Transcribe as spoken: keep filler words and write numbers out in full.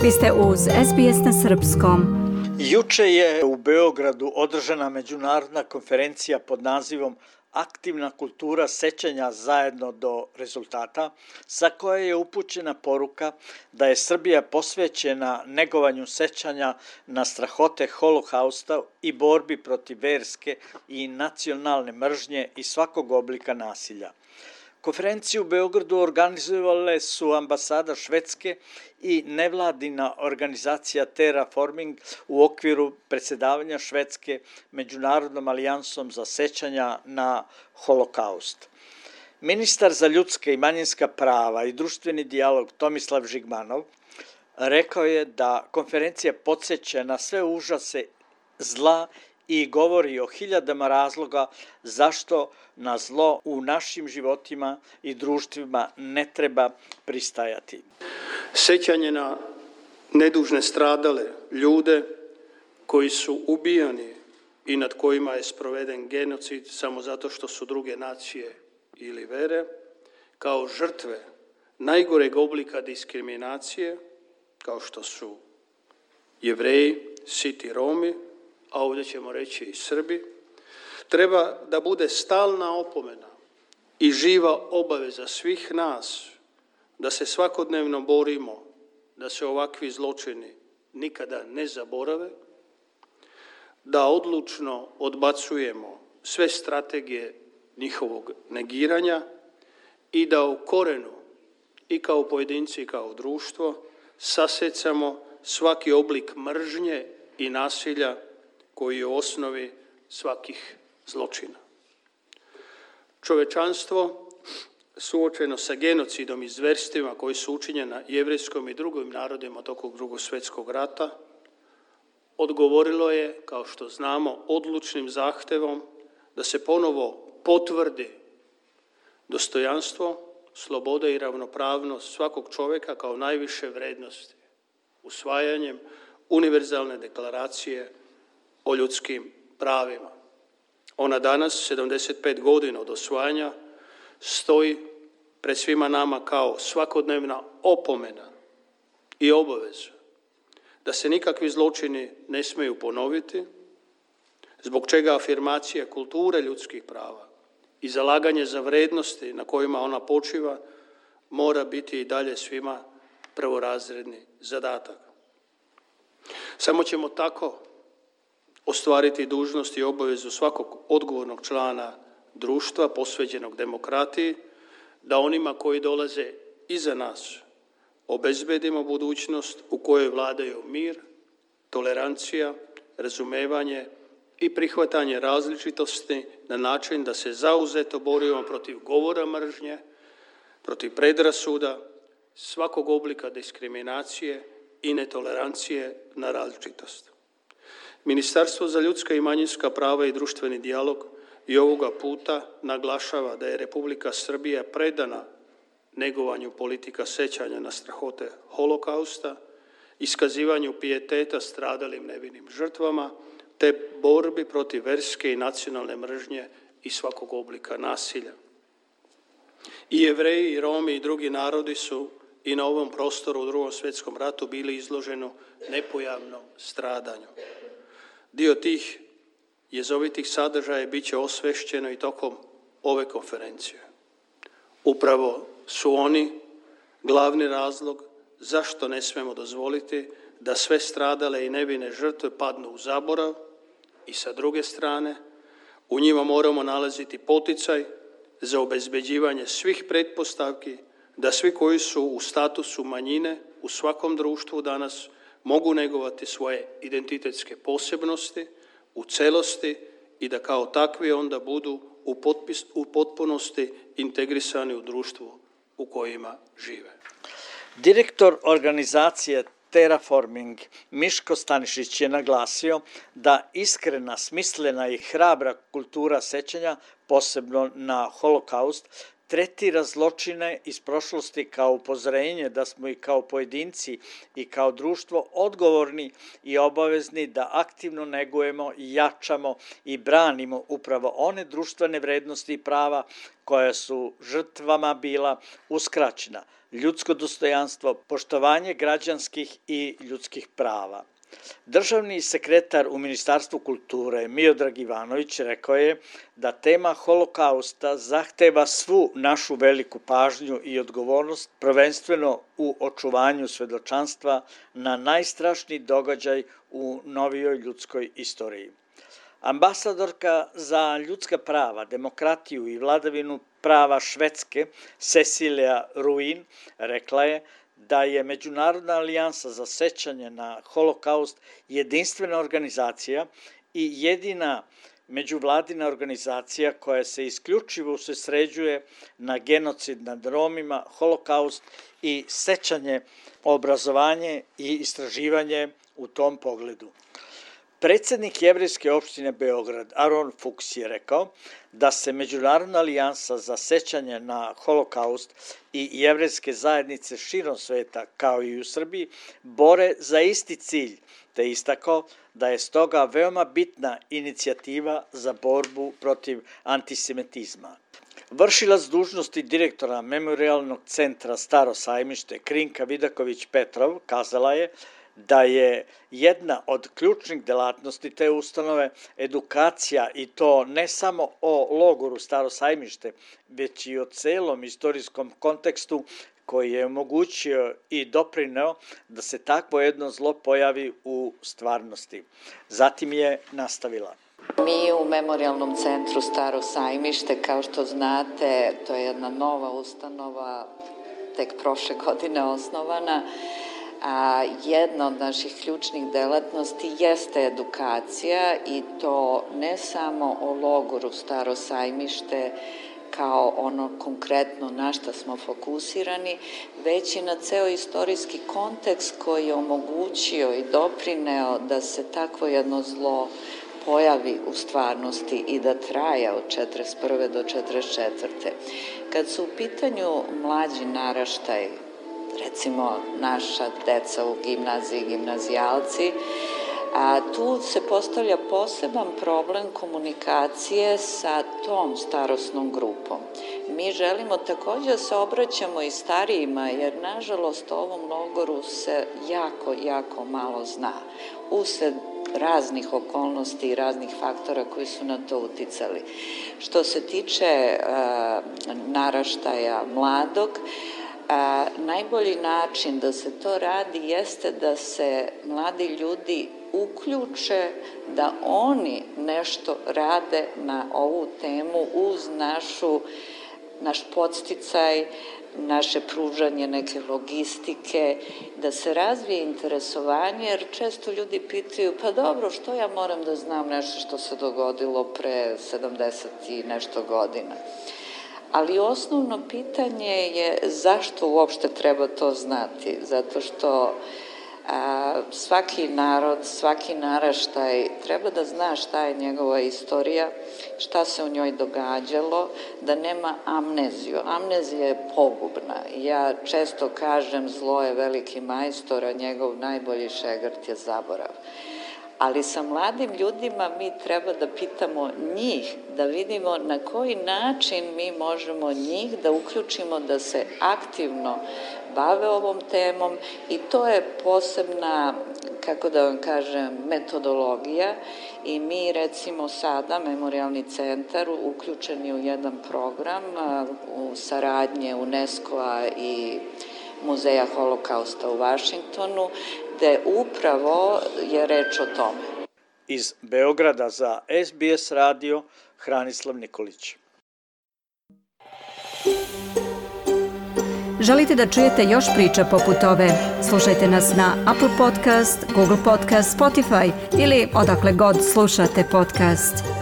Vi ste uz S B S na srpskom. Juče je u Beogradu održana međunarodna konferencija pod nazivom Aktivna kultura sećanja zajedno do rezultata, sa koje je upućena poruka da je Srbija posvećena negovanju sećanja na strahote Holokausta i borbi protiv verske i nacionalne mržnje i svakog oblika nasilja. Konferenciju u Beogradu organizovale su ambasada Švedske i nevladina organizacija Terraforming u okviru predsjedavanja Švedske Međunarodnom alijansom za sećanja na Holokaust. Ministar za ljudska i manjinska prava i društveni dijalog Tomislav Žigmanov rekao je da konferencija podsjeća na sve užase zla i govori o hiljadama razloga zašto na zlo u našim životima i društvima ne treba pristajati. Sećanje na nedužne stradale ljude koji su ubijani i nad kojima je sproveden genocid samo zato što su druge nacije ili vere, kao žrtve najgoreg oblika diskriminacije, kao što su Jevreji, Siti, Romi, a ovdje ćemo reći i Srbi, treba da bude stalna opomena i živa obaveza svih nas da se svakodnevno borimo da se ovakvi zločini nikada ne zaborave, da odlučno odbacujemo sve strategije njihovog negiranja i da u korenu i kao pojedinci i kao društvo sasecamo svaki oblik mržnje i nasilja koji je u osnovi svakih zločina. Čovečanstvo suočeno sa genocidom i zverstvima koji su učinjeni jevrejskom i drugim narodima tokom Drugog svjetskog rata odgovorilo je, kao što znamo, odlučnim zahtevom da se ponovo potvrdi dostojanstvo, sloboda i ravnopravnost svakog čovjeka kao najviše vrednosti usvajanjem univerzalne deklaracije o ljudskim pravima. Ona danas, sedamdeset pet godina od osvajanja, stoji pred svima nama kao svakodnevna opomena i obaveza da se nikakvi zločini ne smiju ponoviti, zbog čega afirmacija kulture ljudskih prava i zalaganje za vrednosti na kojima ona počiva mora biti i dalje svima prvorazredni zadatak. Samo ćemo tako ostvariti dužnost i obavezu svakog odgovornog člana društva posvećenog demokratiji, da onima koji dolaze iza nas obezbedimo budućnost u kojoj vladaju mir, tolerancija, razumevanje i prihvatanje različitosti na način da se zauzeto borimo protiv govora mržnje, protiv predrasuda, svakog oblika diskriminacije i netolerancije na različitost. Ministarstvo za ljudska i manjinska prava i društveni dijalog i ovoga puta naglašava da je Republika Srbija predana negovanju politika sećanja na strahote Holokausta, iskazivanju pijeteta stradalim nevinim žrtvama, te borbi protiv verske i nacionalne mržnje i svakog oblika nasilja. I Jevreji, i Romi i drugi narodi su i na ovom prostoru u Drugom svjetskom ratu bili izloženi nepojavnom stradanju. Dio tih jezovitih sadržaja bit će osvešćeno i tokom ove konferencije. Upravo su oni glavni razlog zašto ne smemo dozvoliti da sve stradale i nevine žrtve padnu u zaborav i sa druge strane u njima moramo nalaziti poticaj za obezbeđivanje svih pretpostavki da svi koji su u statusu manjine u svakom društvu danas mogu negovati svoje identitetske posebnosti u celosti i da kao takvi onda budu u, potpis, u potpunosti integrisani u društvu u kojima žive. Direktor organizacije Terraforming Miško Stanišić je naglasio da iskrena, smislena i hrabra kultura sećanja, posebno na Holokaust, tretira zločine iz prošlosti kao upozorenje da smo i kao pojedinci i kao društvo odgovorni i obavezni da aktivno negujemo i jačamo i branimo upravo one društvene vrednosti i prava koja su žrtvama bila uskraćena, ljudsko dostojanstvo, poštovanje građanskih i ljudskih prava. Državni sekretar u Ministarstvu kulture Miodrag Ivanović rekao je da tema holokausta zahteva svu našu veliku pažnju i odgovornost, prvenstveno u očuvanju svedočanstva na najstrašniji događaj u novijoj ljudskoj istoriji. Ambasadorka za ljudska prava, demokratiju i vladavinu prava Švedske, Cecilia Ruin, rekla je da je Međunarodna alijansa za sećanje na holokaust jedinstvena organizacija i jedina međuvladina organizacija koja se isključivo usredsređuje na genocid nad Romima, holokaust i sećanje, obrazovanje i istraživanje u tom pogledu. Predsednik Jevrejske opštine Beograd, Aron Fuchs, je rekao da se Međunarodna alijansa za sećanje na holokaust i jevrejske zajednice širom sveta, kao i u Srbiji, bore za isti cilj, te istakao da je stoga veoma bitna inicijativa za borbu protiv antisemitizma. Vršilac dužnosti direktora Memorijalnog centra Staro sajmište Krinka Vidaković-Petrov kazala je da je jedna od ključnih delatnosti te ustanove edukacija, i to ne samo o logoru Staro sajmište, već i o celom istorijskom kontekstu koji je omogućio i doprineo da se takvo jedno zlo pojavi u stvarnosti. Zatim je nastavila. Mi u Memorijalnom centru Staro sajmište, kao što znate, to je jedna nova ustanova, tek prošle godine osnovana, a jedna od naših ključnih delatnosti jeste edukacija, i to ne samo o logoru Staro sajmište kao ono konkretno na šta smo fokusirani, već i na ceo istorijski kontekst koji je omogućio i doprineo da se takvo jedno zlo pojavi u stvarnosti i da traja od četrdeset prve do četrdeset četvrte. Kad su u pitanju mlađi naraštaj, recimo naša deca u gimnaziji, gimnazijalci, a tu se postavlja poseban problem komunikacije sa tom starosnom grupom. Mi želimo takođe da se obraćamo i starijima, jer nažalost o ovom logoru se jako, jako malo zna. Usled raznih okolnosti i raznih faktora koji su na to uticali. Što se tiče a, naraštaja mladog, A, najbolji način da se to radi jeste da se mladi ljudi uključe, da oni nešto rade na ovu temu uz našu, naš podsticaj, naše pružanje neke logistike, da se razvije interesovanje, jer često ljudi pitaju, pa dobro, što ja moram da znam nešto što se dogodilo pre sedamdeset i nešto godina. Ali osnovno pitanje je zašto uopšte treba to znati, zato što a, svaki narod, svaki naraštaj treba da zna šta je njegova istorija, šta se u njoj događalo, da nema amneziju. Amnezija je pogubna. Ja često kažem, zlo je veliki majstor, a njegov najbolji šegrt je zaborav. Ali sa mladim ljudima mi treba da pitamo njih, da vidimo na koji način mi možemo njih da uključimo da se aktivno bave ovom temom, i to je posebna, kako da vam kažem, metodologija, i mi recimo sada, Memorijalni centar, uključeni u jedan program u saradnje UNESCO-a i Muzeja holokausta u Vašingtonu, gde upravo je reč o tome. Iz Beograda za S B S radio, Hranislav Nikolić. Želite da čujete još priča poput ove? Slušajte nas na Apple Podcast, Google Podcast, Spotify ili odakle god slušate podcast.